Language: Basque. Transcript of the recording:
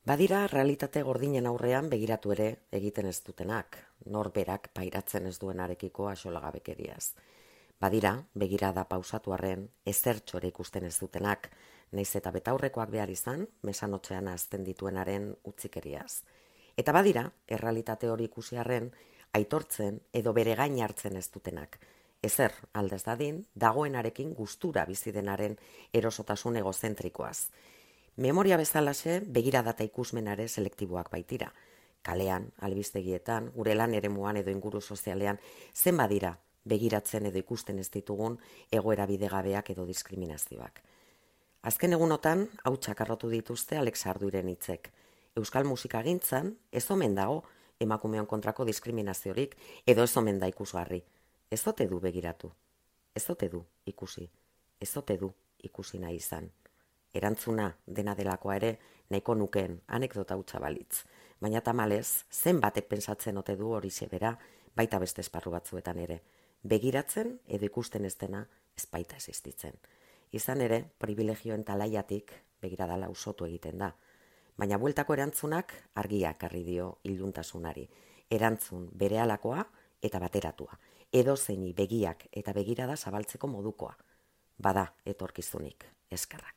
Badira realitate gordinen aurrean begiratu ere egiten ez dutenak, norberak pairatzen ez duenarekiko axolagabekeriaz. Badira, begirada pausatu arren, ezertxore ikusten ez dutenak, naiz eta betaurrekoak behar izan, mesanotxean azten dituenaren utzikeriaz. Eta badira, errealitate hori ikusi arren, aitortzen edo bere gain hartzen ez dutenak. Ezer, aldez dadin, dagoenarekin gustura bizi denaren erosotasun egozentrikoaz. Memoria bezalaxe, begirada eta ikusmenare selektiboak baitira. Kalean, albistegietan, gure lan eremuan edo inguru sozialean, zen badira begiratzen edo ikusten ez ditugun egoera bidegabeak edo diskriminazioak. Azken egunotan, hautsak arrotu dituzte Alex Arduiren hitzek. Euskal musikagintzan ez omen dago emakumeon kontrako diskriminaziorik edo ez omen da ikusgarri. Ez ote du begiratu, ez ote du ikusi, ez ote du ikusi nahi izan. Erantzuna dena delakoa ere nahiko nukeen anekdota hutsa balitz. Baina tamalez, zenbatek pentsatzen ote du hori bera baita beste esparru batzuetan ere. Begiratzen edo ikusten ez dena ez baita existitzen. Izan ere, privilegioen talaiatik begiradala usotu egiten da. Baina bueltako erantzunak argiak argi dio iluntasunari. Erantzun berehalakoa eta bateratua. Edozeini begiak eta begirada zabaltzeko modukoa. Bada etorkizunik, eskerrak.